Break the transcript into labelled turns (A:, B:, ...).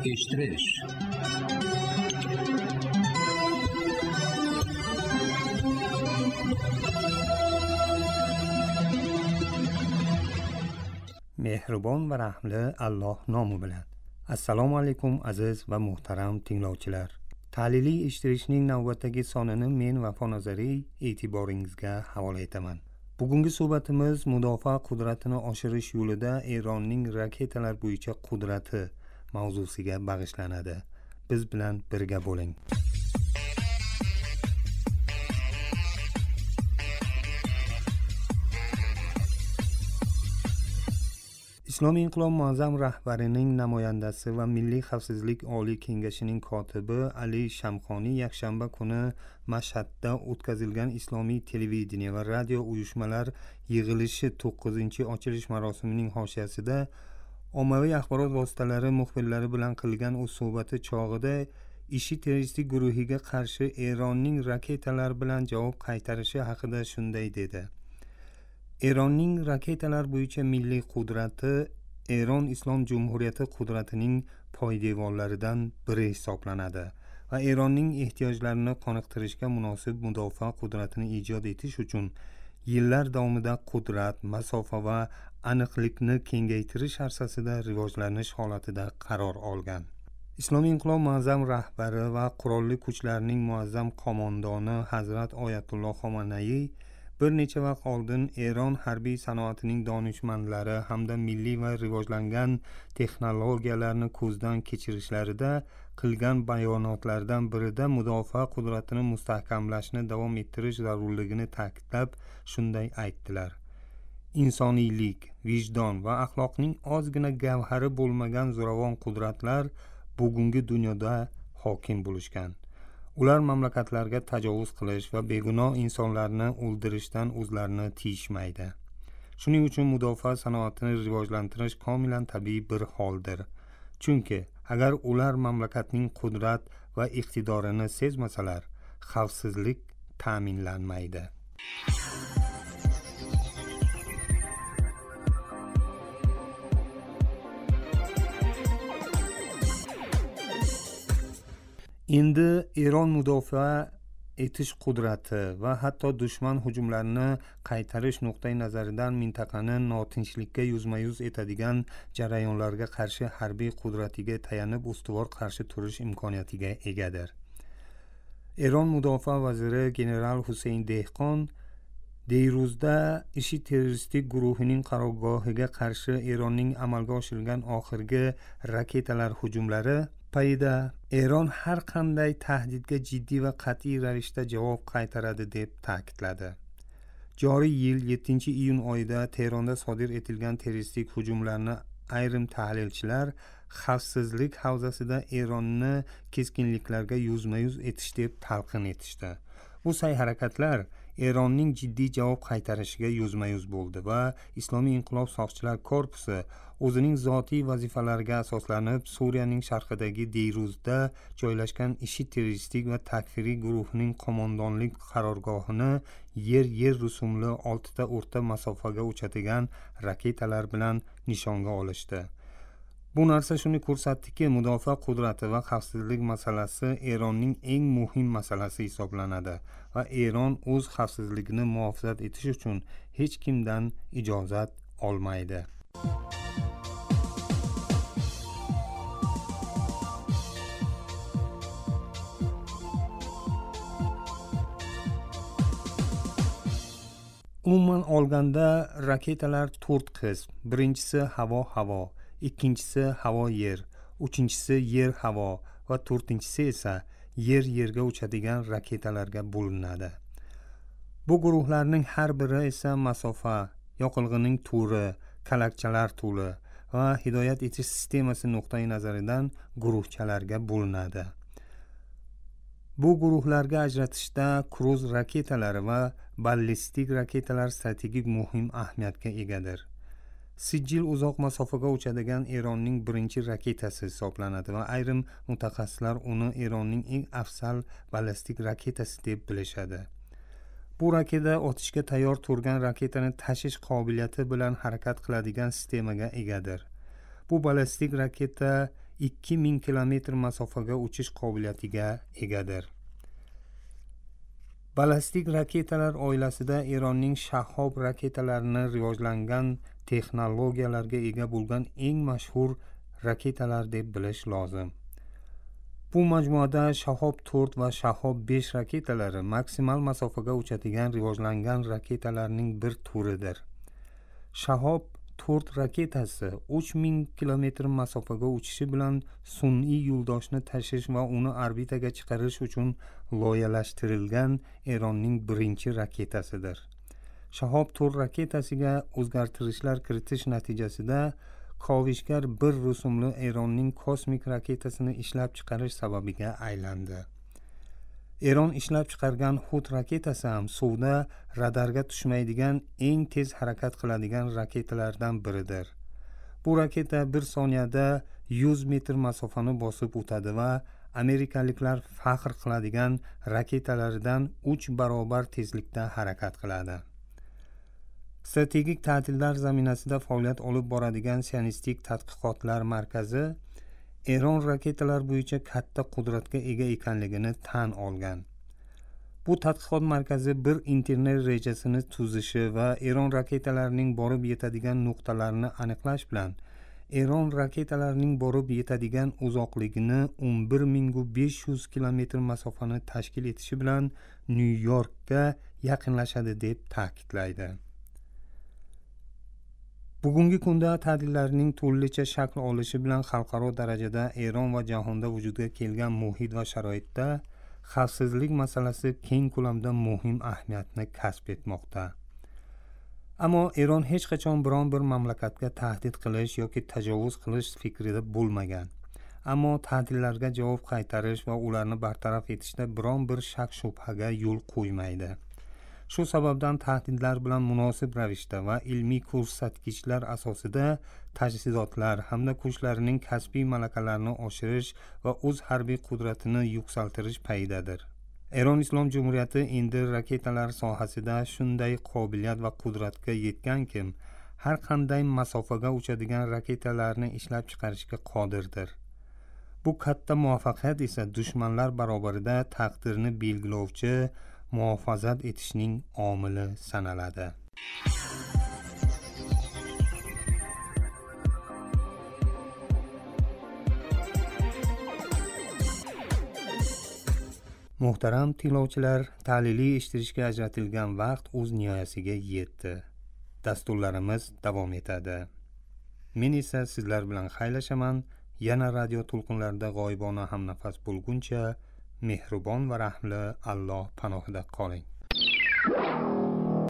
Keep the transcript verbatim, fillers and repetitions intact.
A: Eshittirish.
B: Mehribon va rahimli Alloh nomi bilan. Assalomu alaykum aziz va muhtaram tinglovchilar. Tahliliy eshittirishning navbatdagi sonini men Vafo Nazariy e'tiboringizga havola etaman. Bugungi suhbatimiz mudofaa qudratini oshirish yo'lida Eronning raketalar bo'yicha qudrati mavzusiga bag'ishlanadi. Biz bilan birga bo'ling. Islomiy inqilob muazzam rahbarining namoyandasi va Milliy xavfsizlik oliy kengashining kotibi Ali Shamxoniy yakshanba kuni Mashhadda o'tkazilgan islomiy televideniye va radio uyushmalar yig'ilishi to'qqizinchi ochilish marosimining hoshiyasida ommaviy axborot vositalari muxbirlari bilan qilgan o'z suhbati chog'ida IShID terroristik guruhiga qarshi Eronning raketalar bilan javob qaytarishi haqida shunday dedi. Eronning raketalar bo'yicha milliy qudrati Eron Islom Jumhuriyati qudratining poydevorlaridan biri hisoblanadi va Eronning ehtiyojlarini qoniqtirishga munosib mudofaa qudratini ijod etish uchun yillar davomida qudrat, masofa va aniqlikni kengaytirish arsasida rivojlanish holatida qaror olgan. Islomiy inqilob muazzam rahbari va qurolli kuchlarning muazzam qo'mondoni Hazrat Oyatulloh Xomanaiy bir necha vaqt oldin Eron harbiy sanoatining donishmandlari hamda milliy va rivojlangan texnologiyalarni ko'zdan kechirishlarida qilgan bayonotlardan birida mudofaa qudratini mustahkamlashni davom ettirish zarurligini ta'kidlab shunday aytdilar. Insoniylik, vijdon va axloqning ozgina gavhari bo'lmagan zo'ravon qudratlar bugungi dunyoda hokim bo'lishgan. Ular mamlakatlarga tajovuz qilish va begunoh insonlarni o'ldirishdan o'zlarini tiyishmaydi. Shuning uchun mudofaa sanoatini rivojlantirish komilan tabiiy bir holdir. Chunki agar ular mamlakatning qudrat va iqtidorini sezmasalar, xavfsizlik ta'minlanmaydi. Endi Eron mudofaa etish qudrati va hatto dushman hujumlarini qaytarish nuqtai nazaridan mintaqani notinchlikka yuzma-yuz etadigan jarayonlarga qarshi harbiy qudratiga tayanib ustuvor qarshi turish imkoniyatiga egadir. Eron mudofaa vaziri general Huseyn Dehqon Deyruzda IShID terroristik guruhining qarorgohiga qarshi Eronning amalga oshirgan oxirgi raketalar hujumlari payida Eron har qanday tahdidga jiddiy va qat'iy ravishda javob qaytaradi deb ta'kidladi. Joriy yil yettinchi iyun oyida Tehronda sodir etilgan terroristik hujumlarni ayrim tahlilchilar xavfsizlik havzasida Eronni keskinliklarga yuzma-yuz etish deb talqin etishdi. Bu sa'y-harakatlar Eronning jiddiy javob qaytarishiga yuzma-yuz bo'ldi va Islomiy inqilob soqchilar korpusi o'zining zotiy vazifalariga asoslanib Suriyaning sharqidagi Deyruzda joylashgan IShID terroristik va takfiriy guruhining qo'mondonlik qarorgohini yer-yer rusumli oltita o'rta masofaga uchadigan raketalar bilan nishonga olishdi. Bu narsa shuni ko'rsatdiki, mudofaa qudrati va xavfsizlik masalasi Eronning eng muhim masalasi hisoblanadi va Eron o'z xavfsizligini muhofazat etish uchun hech kimdan ijozat olmaydi. Umuman olganda raketalar to'rt qism. Birinchisi havo-havo, ikkinchisi havo-yer, uchinchisi yer-havo va to'rtinchisi esa yer-yerga uchadigan raketalarga bo'linadi. Bu guruhlarning har biri esa masofa, yoqilg'ining turi, kalakchalar turi va hidoyat etish sistemasi nuqtai nazaridan guruhchalarga bo'linadi. Bu guruhlarga ajratishda kruz raketalari va ballistik raketalar strategik muhim ahamiyatga egadir. Sijil uzoq masofaga uchadigan Eronning birinchi raketasi hisoblanadi va ayrim mutaxassislar uni Eronning eng afzal ballistik raketasi deb bilishadi. Bu raketa otishga tayyor turgan raketani tashish qobiliyati bilan harakat qiladigan sistemaga egadir. Bu ballistik raketa ikki ming kilometr masofaga uchish qobiliyatiga egadir. Ballistik raketalar oilasida Eronning Shahob raketalarini rivojlangan texnologiyalarga ega bo'lgan eng mashhur raketalar deb bilish lozim. Bu majmuada Shahob to'rt va Shahob besh raketalari maksimal masofaga uchadigan rivojlangan raketalarning bir turidir. Shahob to'rt raketasi uch ming kilometr masofaga uchishi bilan sun'iy yo'ldoshni tashish va uni orbitaga chiqarish uchun loyihalashtirilgan Eronning birinchi raketasidir. Shahob to'rt raketasiga o'zgartirishlar kiritish natijasida Kovishgar bir rusumli Eronning kosmik raketasini ishlab chiqarish sababiga aylandi. Eron ishlab chiqargan Hud raketasi ham suvda radarga tushmaydigan eng tez harakat qiladigan raketalardan biridir. Bu raketa bir soniyada yuz metr masofani bosib o'tadi va amerikaliklar faxr qiladigan raketalaridan uch barobar tezlikda harakat qiladi. Strategik ta'tillar zaminasida faoliyat olib boradigan Sionistik tadqiqotlar markazi Eron raketalar bo'yicha katta qudratga ega ekanligini tan olgan. Bu tadqiqot markazi bir internet rejasini tuzishi va Eron raketalarining borib yetadigan nuqtalarini aniqlash bilan Eron raketalarining borib yetadigan uzoqligini o'n bir ming besh yuz kilometr masofani tashkil etishi bilan Nyu-Yorkka yaqinlashadi deb ta'kidlaydi. Bugungi kunda ta'tillarning turlicha shakl olishi bilan xalqaro darajada Eron va jahonda vujudga kelgan muhit va sharoitda xavfsizlik masalasi keng ko'lamda muhim ahamiyatni kasb etmoqda. Ammo Eron hech qachon biron bir mamlakatga tahdid qilish yoki tajovuz qilish fikrida bo'lmagan. Ammo tahdidlarga javob qaytarish va ularni bartaraf etishda biron bir shak shubhaga yo'l qo'ymaydi. Shu sababdan tahdidlar bilan munosib ravishda va ilmiy ko'rsatkichlar asosida tajhizotlar hamda kuchlarining kasbiy malakalarini oshirish va o'z harbiy qudratini yuksaltirish payidadir. Eron Islom Jumhuriyati endi raketalar sohasida shunday qobiliyat va qudratga yetgankim, har qanday masofaga uchadigan raketalarni ishlab chiqarishga qodirdir. Bu katta muvaffaqiyat esa dushmanlar barobarida taqdirni belgilovchi muhofazat etishning omili sanaladi. Muhtaram tinglovchilar, ta'liliy eshittirishga ajratilgan vaqt o'z nihoyasiga yetdi. Dasturlarimiz davom etadi. Men esa sizlar bilan xayrlashaman. Yana radio to'lqinlarida g'oyibona hamnafas bo'lguncha mehribon va rahmli Alloh panohida qoling.